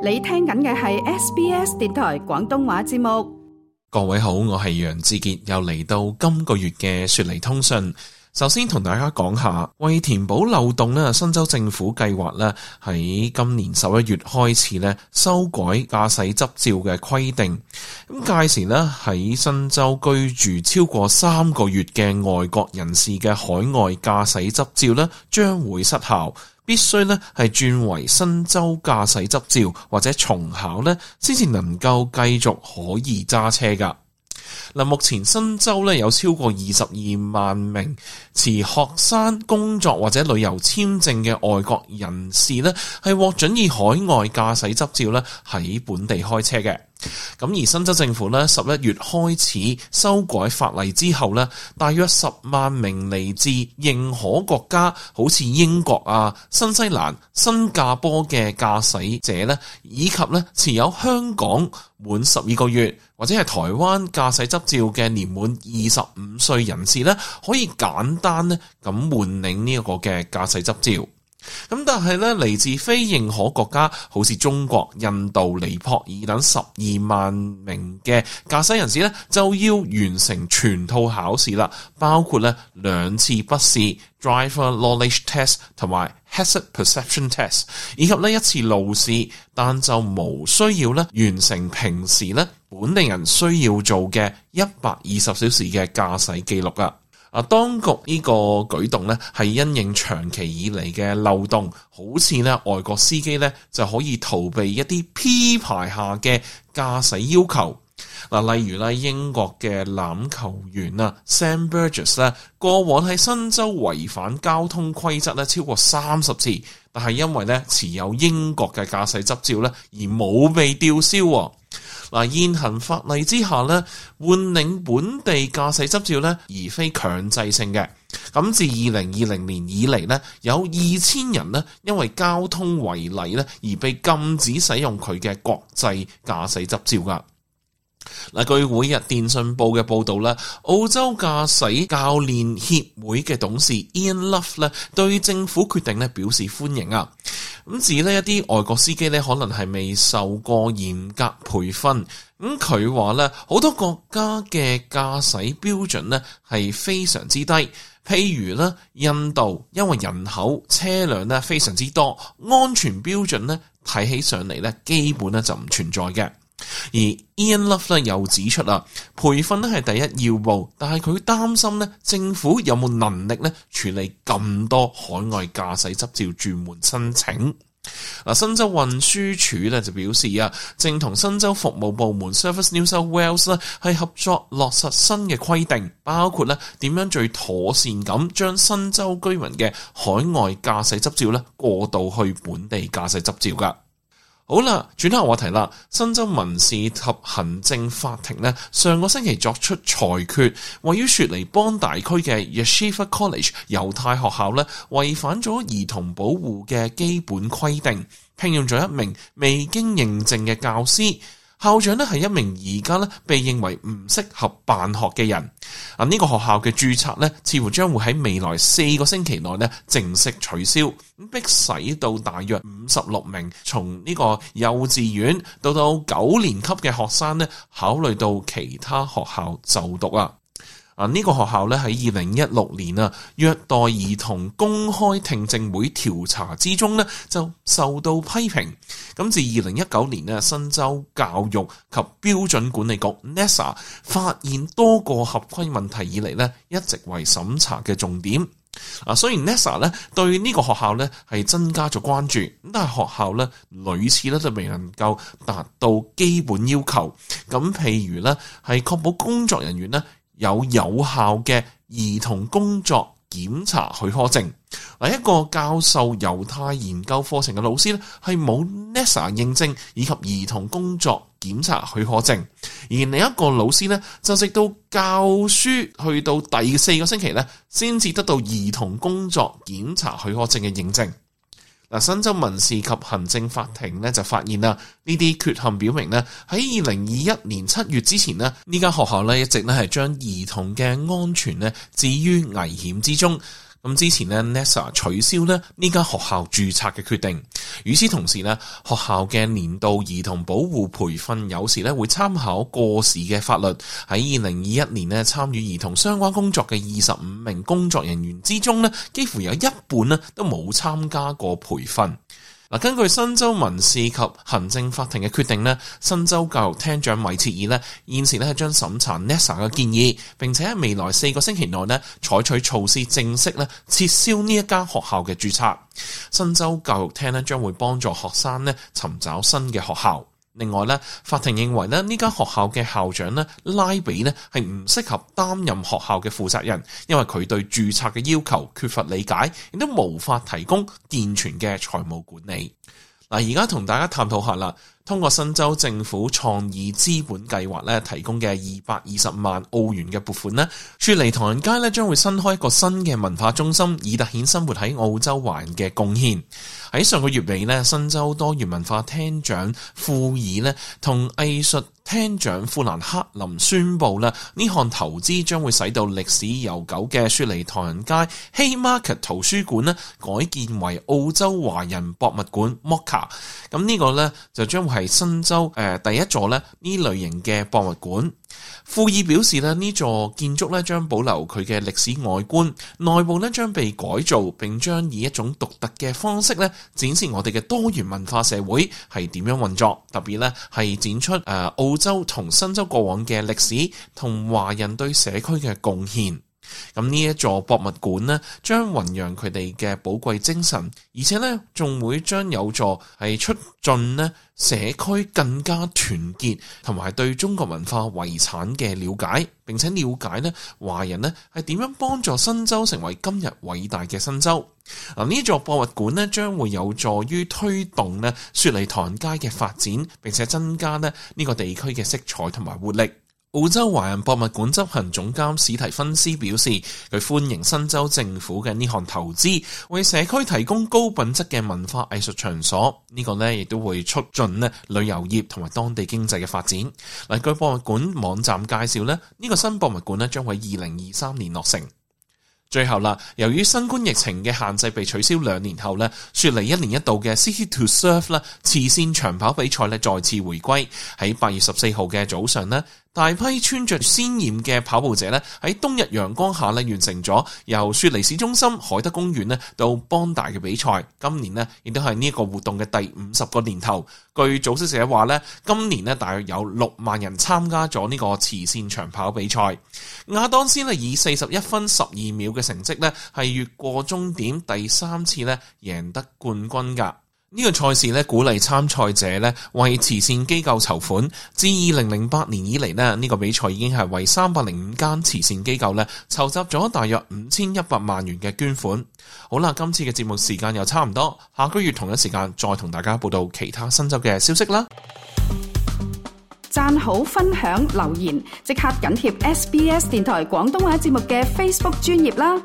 你聽緊嘅係 SBS 電台廣東話節目。各位好，我係楊志傑，又嚟到今個月嘅雪梨通訊。首先同大家講下，為填補漏洞咧，新州政府計劃咧喺今年11月開始咧修改駕駛執照嘅規定。咁屆時咧喺新州居住超過3個月嘅外國人士嘅海外駕駛執照咧將會失效，必須咧係轉為新州駕駛執照或者重考咧先至能夠繼續可以揸車噶。嗱，目前新州咧有超過22萬名持學生、工作或者旅遊簽證嘅外國人士咧，係獲准以海外駕駛執照咧喺本地開車嘅。咁而新州政府咧11月開始修改法例之後咧，大約10萬名嚟自認可國家，好似英國啊、新西蘭、新加坡嘅駕駛者咧，以及咧持有香港滿12個月或者係台灣駕駛執照嘅年滿25歲人士咧，可以簡單咧咁換領呢一個嘅駕駛執照。咁但係咧，嚟自非認可國家，好似中國、印度、尼泊爾等12萬名嘅駕駛人士咧，就要完成全套考試啦，包括咧2次筆試 Driver Knowledge Test 同埋 Hazard Perception Test， 以及呢1次路試，但就無需要咧完成平時咧本地人需要做嘅120小時嘅駕駛記錄啊。當局呢個舉動咧係因應長期以嚟嘅漏洞，好似咧外國司機咧就可以逃避一啲 P 牌下嘅駕駛要求。例如咧英國嘅欖球員Sam Burgess 咧，過往喺新州違反交通規則咧超過30次，但係因為咧持有英國嘅駕駛執照咧而冇被吊銷。現行法例之下咧，換領本地駕駛執照咧，而非強制性嘅。咁自2020年以嚟咧，有2000人咧因為交通違例咧而被禁止使用佢嘅國際駕駛執照噶。據每日電訊報嘅報道咧，澳洲駕駛教練協會嘅董事 Ian Love 咧對政府決定咧表示歡迎啊。咁指呢一啲外國司機咧可能係未受過嚴格培訓，咁佢話咧好多國家嘅駕駛標準咧係非常之低，譬如咧印度因為人口車輛咧非常之多，安全標準咧睇起上嚟咧基本咧就唔存在嘅。而 Ian Love 咧又指出培訓咧係第一要務，但係佢擔心咧政府有冇能力咧處理咁多海外駕駛執照轉換申請。新州運輸署咧就表示正同新州服務部門 Service New South Wales 咧係合作落實新嘅規定，包括咧點樣最妥善咁將新州居民嘅海外駕駛執照咧過渡去本地駕駛執照噶。好啦，轉下話題啦。新州民事及行政法庭咧，上個星期作出裁決，位於雪梨邦大區嘅 Yeshiva College 猶太學校咧，違反咗兒童保護嘅基本規定，聘用咗一名未經認證嘅教師。校長咧係一名而家咧被認為唔適合辦學嘅人。呢個學校嘅註冊咧，似乎將會喺未來4個星期內咧正式取消，迫使到大約56名從呢個幼稚園到9年級嘅學生咧，考慮到其他學校就讀呢個學校咧喺2016年虐待兒童公開聽證會調查之中咧就受到批評。咁自2019年新州教育及標準管理局 NESA 發現多個合規問題以嚟咧，一直為審查嘅重點。雖然 NESA 咧對呢個學校咧係增加咗關注，但係學校咧屢次咧都未能夠達到基本要求。咁譬如咧係確保工作人員咧有效嘅兒童工作檢查許可證。一個教授猶太研究課程嘅老師咧係冇 NESA 認證以及兒童工作檢查許可證，而另一個老師咧就直到教書去到第4個星期咧先至得到兒童工作檢查許可證嘅認證。新州民事及行政法庭咧就發現呢啲缺陷表明咧喺2021年7月之前呢間學校咧一直咧係將兒童嘅安全咧置於危險之中。咁之前呢 NASA 取消呢間學校註冊嘅決定。與此同時呢，學校嘅年度兒童保護培訓有時呢會參考過時嘅法律。喺2021年呢，參與兒童相關工作嘅25名工作人員之中呢，幾乎有一半呢都冇參加過培訓。根據新州民事及行政法庭嘅決定呢，新州教育廳長米切爾呢現時呢係將審查 NASA 嘅建議，並且喺未來4個星期內呢採取措施，正式呢撤銷呢一間學校嘅註冊。新州教育廳呢將會幫助學生呢尋找新嘅學校。另外呢，法庭認為呢間學校嘅校長呢拉比呢係唔適合擔任學校嘅負責人，因為佢對註冊嘅要求缺乏理解，亦都無法提供健全嘅財務管理。而家同大家探討下啦，通過新州政府創意資本計劃咧提供嘅220萬澳元嘅撥款咧，雪梨唐人街咧將會新開一個新嘅文化中心，以凸顯生活喺澳洲華人嘅貢獻。喺上個月尾咧，新州多元文化廳長庫爾咧同藝術廳長富蘭克林宣布啦，呢項投資將會使到歷史悠久嘅雪梨唐人街 Haymarket 圖書館咧改建為澳洲華人博物館 MOCA。咁呢個咧就將會係新州第一座咧呢類型嘅博物館。庫爾表示咧，呢座建築咧將保留佢嘅歷史外觀，內部咧將被改造，並將以一種獨特嘅方式咧展示我哋嘅多元文化社會係點樣運作，特別咧係展出澳洲同新州過往嘅歷史同華人對社區嘅貢獻。咁呢一座博物館呢，將弘揚佢哋嘅寶貴精神，而且呢仲會將有助係促進呢社區更加團結，同埋對中國文化遺產嘅了解，並且了解呢華人呢係點樣幫助新州成為今日偉大嘅新州。呢座博物館呢將會有助於推動呢雪梨唐人街嘅發展，並且增加呢個地區嘅色彩同埋活力。澳洲華人博物館執行總監史提芬斯表示，佢歡迎新州政府嘅呢項投資，為社區提供高品質嘅文化藝術場所。呢個呢亦都會促進呢旅遊業同埋當地經濟嘅發展。據博物館網站介紹呢，呢個新博物館呢將會2023年落成。最後啦，由於新冠疫情嘅限制被取消2年後呢，雪梨1年一度嘅 City to Surf 啦慈善長跑比賽呢再次回歸。喺8月14號嘅早上呢，大批穿着鮮豔嘅跑步者呢喺冬日陽光下呢完成咗由雪梨市中心海德公園呢到邦大嘅比賽。今年呢亦都係呢一個活動嘅第50個年頭。據組織者話呢，今年呢大約有6萬人參加咗呢個慈善長跑比賽。亞當斯呢以41分12秒嘅成績呢係越過終點，第3次呢贏得冠軍㗎。呢個賽事呢鼓勵參賽者呢為慈善機構籌款。自2008年以嚟呢個比賽已經係為305間慈善機構呢籌集咗大約5100萬元嘅捐款。好啦，今次嘅節目時間又差唔多，下個月同一時間再同大家報道其他新州嘅消息啦。讚好、分享、留言，即刻緊貼SBS 電台廣東話節目嘅 Facebook 專頁啦。